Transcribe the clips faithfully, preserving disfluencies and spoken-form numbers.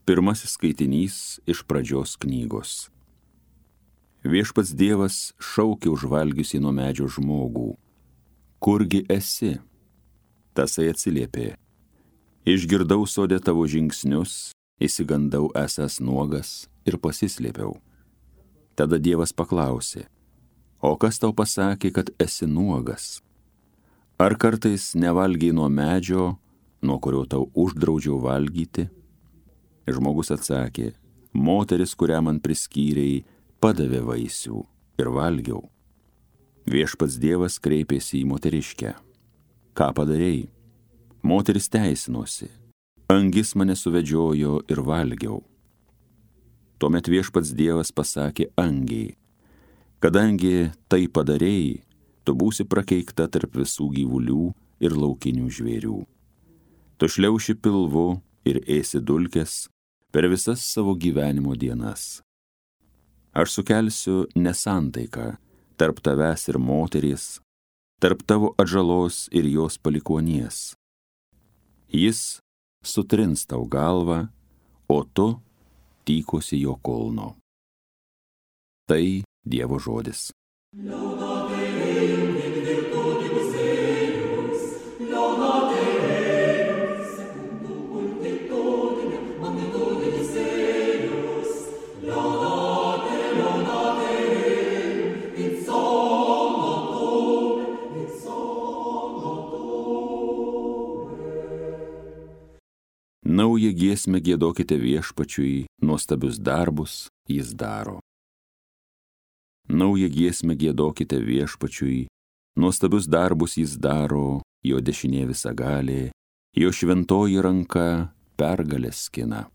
Pirmasis skaitinys iš Pradžios knygos. Viešpats Dievas šaukė užvalgiusi nuo medžio žmogų. Kurgi esi? Tasai atsiliepė. Išgirdau sode tavo žingsnius, įsigandau esąs nuogas ir pasislėpiau. Tada Dievas paklausė, o kas tau pasakė, kad esi nuogas? Ar kartais nevalgiai nuo medžio, nuo kurio tau uždraudžiau valgyti? Žmogus atsakė, moteris, kurią man priskyrei, padavė vaisių ir valgiau. Viešpats Dievas kreipėsi į moteriškę. Ką padarei? Moteris teisinosi. Angis mane suvedžiojo ir valgiau. Tuomet Viešpats Dievas pasakė angiai, kadangi tai padarei, tu būsi prakeikta tarp visų gyvulių ir laukinių žvėrių. Tu šliauši pilvu ir ėsi dulkes per visas savo gyvenimo dienas. Aš sukelsiu nesantaiką tarp tavęs ir moteries, tarp tavo atžalos ir jos palikuonies. Jis sutrins tau galvą, o tu tykosi jo kulno. Tai Dievo žodis. Naują giesmę giedokite Viešpačiui, nuostabius darbus jis daro. Naują giesmę giedokite Viešpačiui, nuostabius darbus jis daro, jo dešinė visagalė, jo šventoji ranka pergalės skina.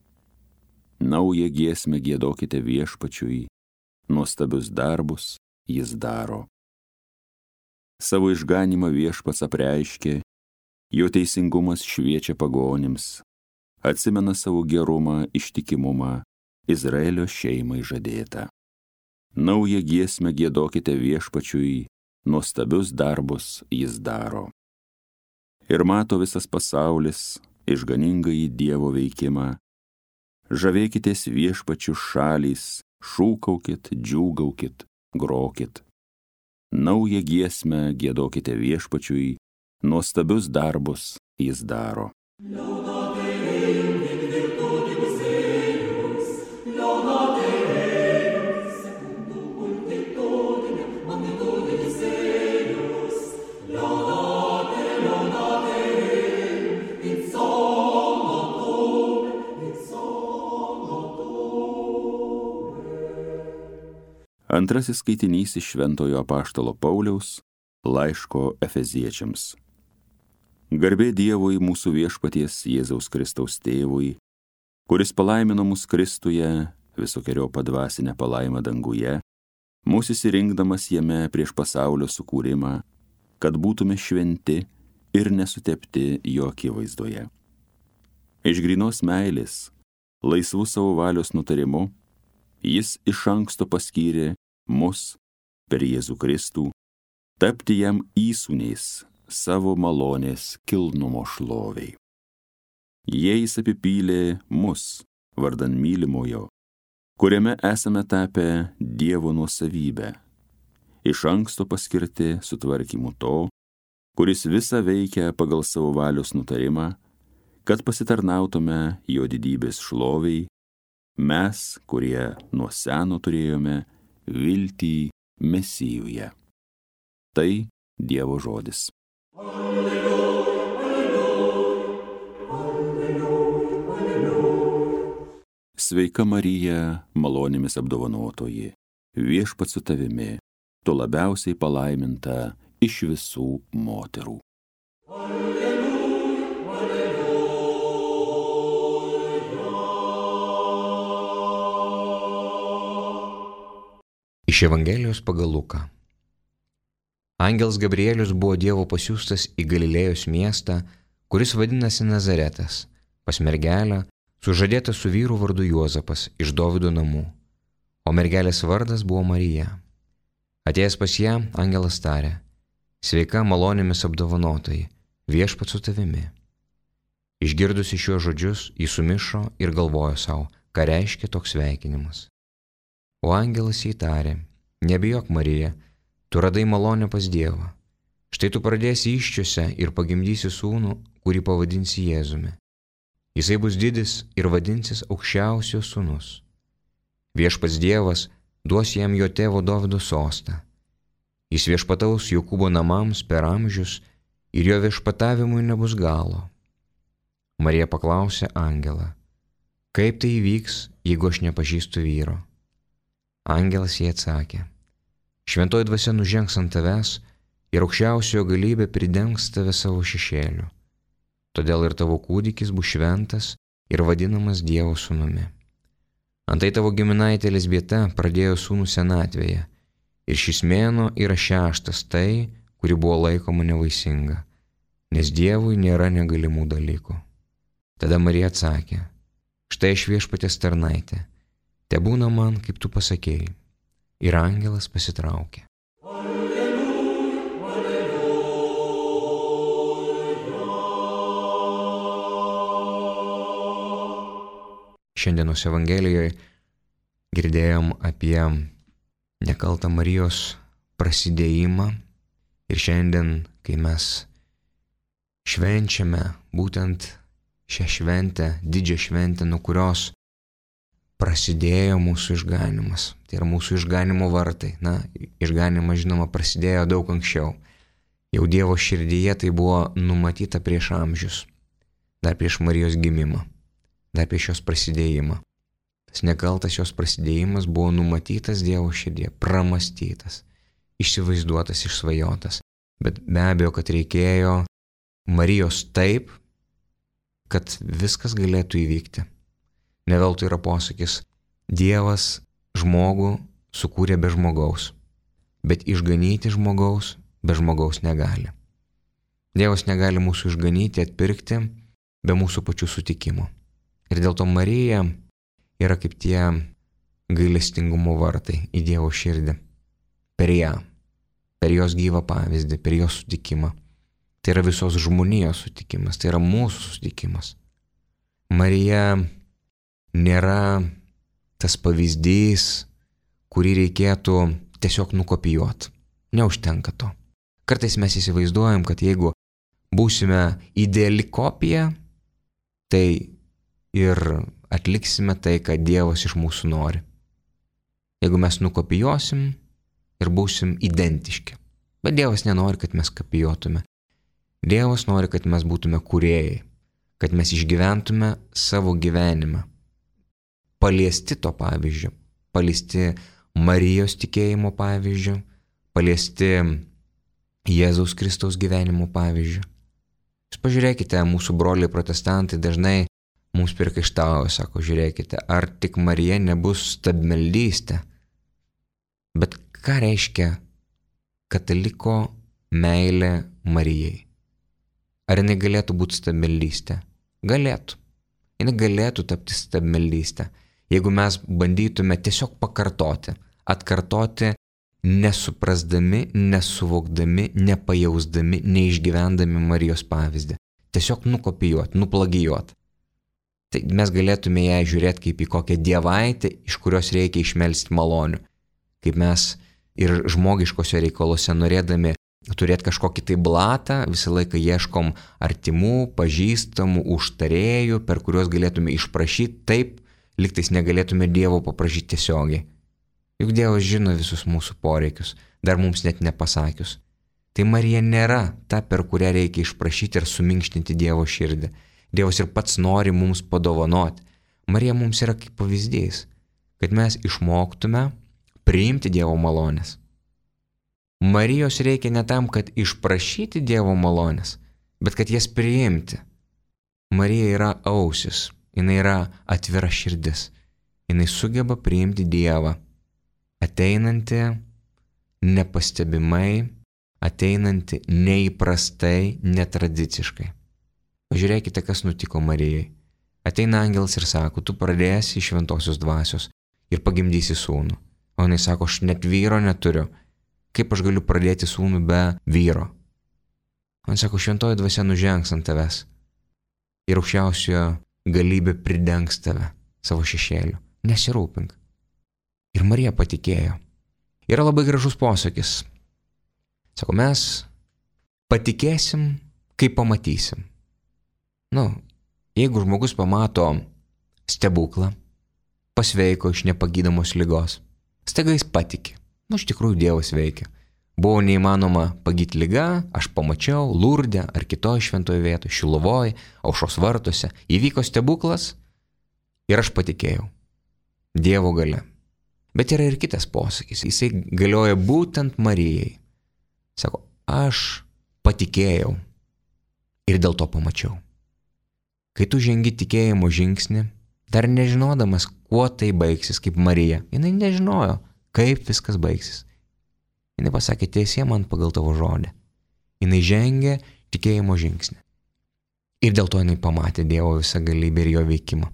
Naują giesmę giedokite Viešpačiui, nuostabius darbus jis daro. Savo išganymą Viešpats apreiškė, jo teisingumas šviečia pagonims, atsimena savo gerumą, ištikimumą, Izraelio šeimai žadėtą. Naują giesmę giedokite Viešpačiui, nuostabius darbus jis daro. Ir mato visas pasaulis išganingąjį Dievo veikimą. Žavėkitės Viešpačiu šalys, šūkaukit, džiūgaukit, grokit. Naują giesmę giedokite Viešpačiui, nuostabius darbus jis daro. Antrasis skaitinys iš Šventojo apaštalo Pauliaus laiško Efeziečiams. Garbė Dievui mūsų Viešpaties Jėzaus Kristaus tėvui, kuris palaimino mus Kristuje visokeriopą dvasinę palaimą danguje, mūsų įsirinkdamas jame prieš pasaulio sukūrimą, kad būtume šventi ir nesutepti jo akivaizdoje. Iš grynos meilės, laisvų savo valios nutarimu, jis iš anksto paskyrė mus per Jėzų Kristų, tapti jam įsūniais savo malonės kilnumo šloviai. Jais apipylė mus vardan mylimojo, kuriame esame tapę Dievo nuosavybę, iš anksto paskirti sutvarkymu to, kuris visą veikia pagal savo valios nutarimą, kad pasitarnautume jo didybės šloviai, mes, kurie nuo seno turėjome viltį Mesijuje. Tai Dievo žodis. Alleluja, alleluja, alleluja, alleluja. Sveika Marija, malonėmis apdovanotoji, Viešpats su tavimi, tu labiausiai palaiminta iš visų moterų. Alleluja, alleluja. Iš Evangelijos pagal Luką. Angelas Gabrielius buvo Dievo pasiųstas į Galilėjos miestą, kuris vadinasi Nazaretas, pas mergelę, sužadėtą su vyru vardu Juozapas iš Dovydo namų, o mergelės vardas buvo Marija. Atėjęs pas ją, angelas tarė, sveika malonėmis apdovanotoji, Viešpats su tavimi. Išgirdusi šiuos žodžius, jis sumišo ir galvojo savo, ką reiškia toks sveikinimas. O angelas jai tarė, nebijok Marija, tu radai malonę pas Dievą. Štai tu pradėsi įsčiose ir pagimdysi sūnų, kurį pavadinsi Jėzumi. Jisai bus didis ir vadinsis aukščiausio sūnus. Viešpats Dievas duos jam jo tėvo Dovydo sostą. Jis viešpataus Jokūbo namams per amžius ir jo viešpatavimui nebus galo. Marija paklausė angelą, kaip tai įvyks, jeigu aš nepažįstu vyro? Angelas jai atsakė, šventoji dvasia nužengs ant tavęs ir aukščiausiojo galybė pridengs tave savo šešėliu. Todėl ir tavo kūdikis bus šventas ir vadinamas Dievo sūnumi. Antai tavo giminaitė Elizbieta pradėjo sūnų senatvėje ir šis mėnuo yra šeštas tai, kuri buvo laikoma nevaisinga, nes Dievui nėra negalimų dalykų. Tada Marija atsakė, štai aš viešpaties tarnaitė, tebūna man, kaip tu pasakėjai. Ir angelas pasitraukė. Šiandienos Evangelijoje girdėjom apie nekaltą Marijos prasidėjimą ir šiandien, kai mes švenčiame būtent šią šventę, didžią šventę, nuo kurios prasidėjo mūsų išganimas. Tai yra mūsų išganimo vartai. Na, išganimas, žinoma, prasidėjo daug anksčiau. Jau Dievo širdyje tai buvo numatyta prieš amžius, dar prieš Marijos gimimą, dar prieš jos prasidėjimą. Tas nekaltas jos prasidėjimas buvo numatytas Dievo širdyje, pramastytas, išsivaizduotas, išsvajotas. Bet be abejo, kad reikėjo Marijos taip, kad viskas galėtų įvykti. Ne veltui yra posakis, Dievas žmogų sukūrė be žmogaus, bet išganyti žmogaus be žmogaus negali. Dievas negali mūsų išganyti, atpirkti be mūsų pačių sutikimo. Ir dėl to Marija yra kaip tie gailestingumo vartai į Dievo širdį. Per ją, per jos gyvą pavyzdį, per jos sutikimą. Tai yra visos žmonijos sutikimas, tai yra mūsų sutikimas. Marija nėra tas pavyzdys, kurį reikėtų tiesiog nukopijuoti. Neužtenka to. Kartais mes įsivaizduojam, kad jeigu būsime ideali kopija, tai ir atliksime tai, ką Dievas iš mūsų nori. Jeigu mes nukopijuosim ir būsim identiški. Bet Dievas nenori, kad mes kopijuotume. Dievas nori, kad mes būtume kūrėjai, kad mes išgyventume savo gyvenimą. Paliesti to pavyzdžio, paliesti Marijos tikėjimo pavyzdžio, paliesti Jėzaus Kristaus gyvenimo pavyzdžio. Jūs pažiūrėkite, mūsų broliai protestantai dažnai mums priekaištauja, sako, žiūrėkite, ar tik Marija nebus stabmeldystė. Bet ką reiškia kataliko meilė Marijai? Ar jinai galėtų būti stabmeldystė? Galėtų. Jinai galėtų tapti stabmeldystė, jeigu mes bandytume tiesiog pakartoti, atkartoti, nesuprasdami, nesuvokdami, nepajausdami, neišgyvendami Marijos pavyzdį. Tiesiog nukopijuoti, nuplagijuoti. Tai mes galėtume ją žiūrėti kaip į kokią dievaitę, iš kurios reikia išmelsti malonių. Kaip mes ir žmogiškose reikaluose norėdami turėti kažkokį tai blatą, visą laiką ieškom artimų, pažįstamų, užtarėjų, per kuriuos galėtume išprašyti, taip, liktais negalėtume Dievo paprašyti tiesiogiai. Juk Dievas žino visus mūsų poreikius, dar mums net nepasakius. Tai Marija nėra ta, per kurią reikia išprašyti ir suminkštinti Dievo širdį. Dievas ir pats nori mums padovanoti. Marija mums yra kaip pavyzdys, kad mes išmoktume priimti Dievo malonės. Marijos reikia ne tam, kad išprašyti Dievo malonės, bet kad jas priimti. Marija yra ausis, jinai yra atvira širdis, jinai sugeba priimti Dievą, ateinantį nepastebimai, ateinantį neįprastai, netradiciškai. Pažiūrėkite, kas nutiko Marijai. Ateina angelas ir sako, tu pradėsi iš šventosios dvasios ir pagimdysi sūnų. O jinai sako, aš net vyro neturiu. Kaip aš galiu pradėti sūnų be vyro? Man sako, šventoji dvasia nužengs ant tavęs. ir aukščiausiojo galybė pridengs tave savo šešėliu. Nesirūpink. Ir Marija patikėjo. Yra labai gražus posakis. Sako, mes patikėsim, kai pamatysim. Nu, jeigu žmogus pamato stebuklą, pasveiko iš nepagydamos ligos, staiga jis patiki. Nu, iš tikrųjų Dievas veikia. Buvo neįmanoma pagyti ligą, aš pamačiau Lurde ar kitoj šventoje vietoje, Šiluvoj, Aušros vartuose. Įvyko stebuklas ir aš patikėjau. Dievo galia. Bet yra ir kitas posakis. Jisai galioja būtent Marijai. Sako, aš patikėjau ir dėl to pamačiau. Kai tu žengi tikėjimo žingsnį, dar nežinodamas, kuo tai baigsis, kaip Marija, jinai nežinojo, kaip viskas baigsis. Jinai pasakė, tiesie man pagal tavo žodį. Jinai žengė tikėjimo žingsnį. Ir dėl to jinai pamatė Dievo visą galybę ir jo veikimą.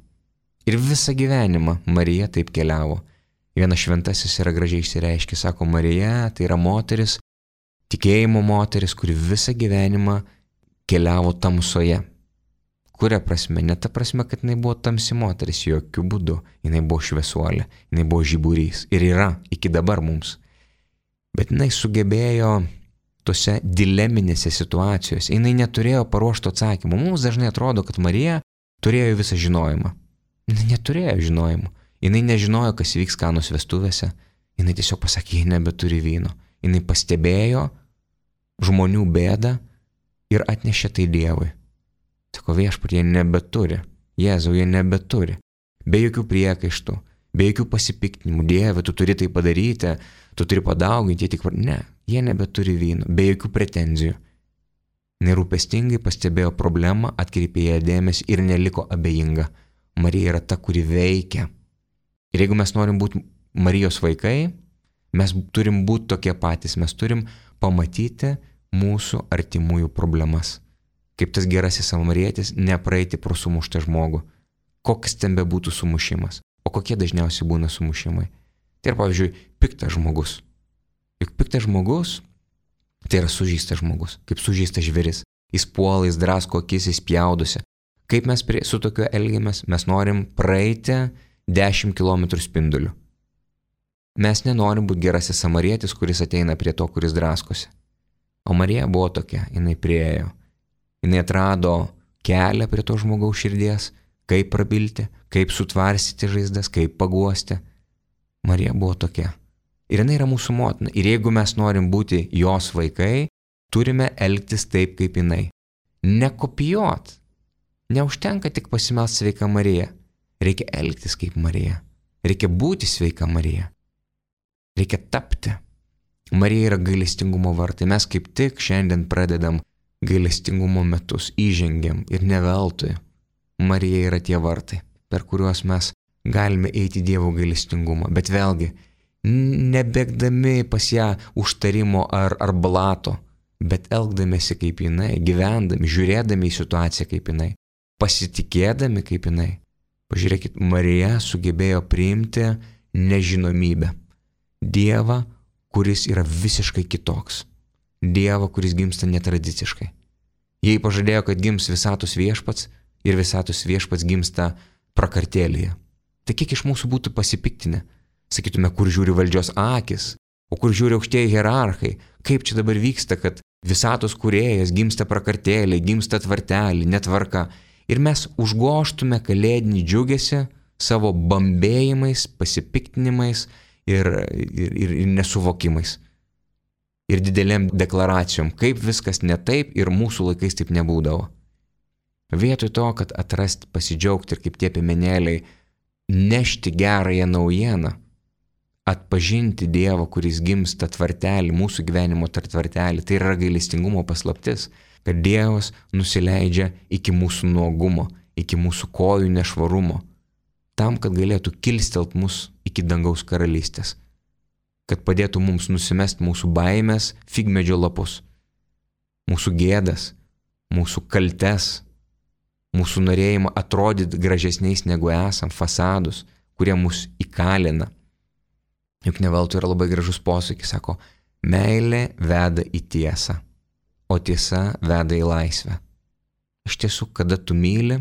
Ir visą gyvenimą Marija taip keliavo. Vienas šventasis yra gražiai išsireiškė, sako, Marija tai yra moteris, tikėjimo moteris, kuri visą gyvenimą keliavo tamsoje. Kuria prasme? Ne ta prasme, kad jinai buvo tamsi moteris, jokių būdų. Jinai buvo šviesuolė, jinai buvo žiburys ir yra iki dabar mums. Bet jinai sugebėjo tose dileminėse situacijose, jinai neturėjo paruošto atsakymų. Mums dažnai atrodo, kad Marija turėjo visą žinojimą. Jinai neturėjo žinojimų. Jinai nežinojo, kas vyks Kanos vestuvėse. Jinai tiesiog pasakė, jie nebeturi vyno. Jinai pastebėjo žmonių bėdą ir atnešė tai Dievui. Sako, viešpatie, jie nebeturi. Jėzau, jie nebeturi. Be jokių priekaištų, be jokių pasipiktinimų. Dieve, tu turi tai padaryti, tu turi padauginti, jie tik... Ne, jie nebeturi vyno, be jokių pretenzijų. Nerūpestingai pastebėjo problemą, atkreipė ją dėmesį ir neliko abejinga. Marija yra ta, kuri veikia. Ir jeigu mes norim būti Marijos vaikai, mes turim būti tokie patys, mes turim pamatyti mūsų artimųjų problemas. Kaip tas gerasis samarietis, nepraeiti pro sumuštą žmogų. Koks ten bebūtų sumušimas. O kokie dažniausiai būna sumušimai? Tai yra, pavyzdžiui, piktas žmogus. Juk piktas žmogus, tai yra sužeistas žmogus, kaip sužeistas žvėris. Jis puola, jis drasko akis, jis pjaudosi. Kaip mes prie, su tokiu elgiamės? Mes norim praeiti dešimt kilometrų spinduliu. Mes nenorim būti gerasis samarietis, kuris ateina prie to, kuris draskosi. O Marija buvo tokia, jinai priėjo. Jinai atrado kelią prie to žmogaus širdies, kaip prabilti, kaip sutvarsyti žaizdas, kaip paguosti. Marija buvo tokia. Ir jinai yra mūsų motina. Ir jeigu mes norim būti jos vaikai, turime elgtis taip, kaip jinai. Nekopijuot. Neužtenka tik pasimelsti sveika Marija. Reikia elgtis kaip Marija. Reikia būti sveika Marija. Reikia tapti. Marija yra gailestingumo vartai. Mes kaip tik šiandien pradedam gailestingumo metus, įžengiam ir ne veltui. Marija yra tie vartai, per kuriuos mes galime eiti Dievo gailestingumą. Bet vėlgi, nebėgdami pas ją užtarimo ar, ar blato, bet elgdamėsi kaip jinai, gyvendami, žiūrėdami į situaciją kaip jinai, pasitikėdami kaip jinai. Pažiūrėkit, Marija sugebėjo priimti nežinomybę. Dievą, kuris yra visiškai kitoks. Dievą, kuris gimsta netradiciškai. Jei pažadėjo, kad gims visatos viešpats ir visatos viešpats gimsta prakartėlėje. Tai kiek iš mūsų būtų pasipiktinę? Sakytume, kur žiūri valdžios akis, o kur žiūri aukštieji hierarchai. Kaip čia dabar vyksta, kad visatos kūrėjas gimsta prakartėlėje, gimsta tvartelį, netvarka. Ir mes užgoštume kalėdinį džiugesį savo bambėjimais, pasipiktinimais ir, ir, ir, ir nesuvokimais. Ir didelėm deklaracijom, kaip viskas ne taip ir mūsų laikais taip nebūdavo. Vietoj to, kad atrasti, pasidžiaugti ir kaip tie piemenėliai, nešti gerąją naujieną, atpažinti Dievą, kuris gimsta tvartelį, mūsų gyvenimo tvartelį, tai yra gailestingumo paslaptis, kad Dievas nusileidžia iki mūsų nuogumo, iki mūsų kojų nešvarumo, tam, kad galėtų kilstelt mus iki dangaus karalystės. Kad padėtų mums nusimesti mūsų baimės figmedžio lapus, mūsų gėdas, mūsų kaltes, mūsų norėjimą atrodyti gražesniais negu esam, fasadus, kurie mus įkalina. Juk ne veltui yra labai gražus posakis, sako, meilė veda į tiesą, o tiesa veda į laisvę. Iš tiesų, kada tu myli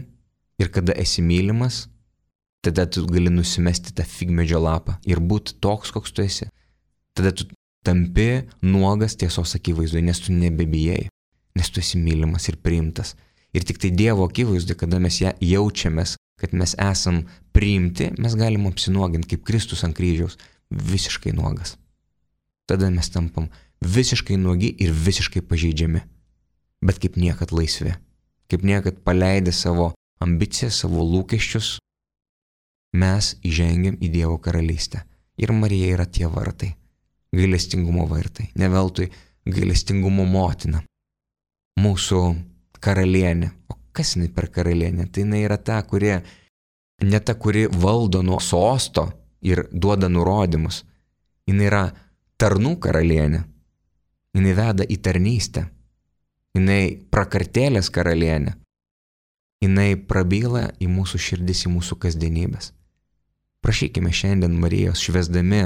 ir kada esi mylimas, tada tu gali nusimesti tą figmedžio lapą ir būti toks, koks tu esi. Tada tu tampi nuogas tiesos akivaizdoje, nes tu nebebijai, nes tu esi mylimas ir priimtas. Ir tik tai Dievo akivaizdoje, kada mes ją jaučiamės, kad mes esam priimti, mes galim apsinuoginti kaip Kristus ant kryžiaus, visiškai nuogas. Tada mes tampam visiškai nuogi ir visiškai pažeidžiami, bet kaip niekad laisvi, kaip niekad paleidę savo ambicijas, savo lūkesčius, mes įžengiam į Dievo karalystę. Ir Marija yra tie vartai, gailestingumo vartai, ne veltui gailestingumo motina, mūsų karalienė. O kas jinai per karalienė? Tai jinai yra ta, kuri, ne ta, kuri valdo nuo sosto ir duoda nurodymus. Jinai yra tarnų karalienė. Jinai veda į tarnystę. Jinai prakartėlės karalienė. Jinai prabyla į mūsų širdis, į mūsų kasdienybės. Prašykime šiandien Marijos, švęsdami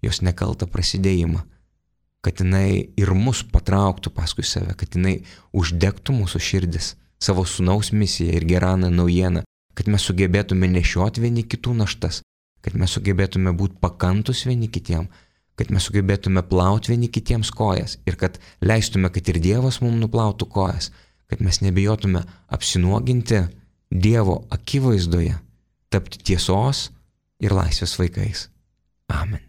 jos nekaltą prasidėjimą, kad jinai ir mus patrauktų paskui save, kad jinai uždegtų mūsų širdis, savo sūnaus misiją ir gerąją naujieną, kad mes sugebėtume nešioti vieni kitų naštas, kad mes sugebėtume būti pakantus vieni kitiem, kad mes sugebėtume plauti vieni kitiems kojas ir kad leistume, kad ir Dievas mums nuplautų kojas, kad mes nebijotume apsinuoginti Dievo akivaizdoje, tapti tiesos ir laisvės vaikais. Amen.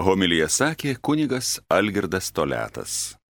Homiliją sakė kunigas Algirdas Toliatas.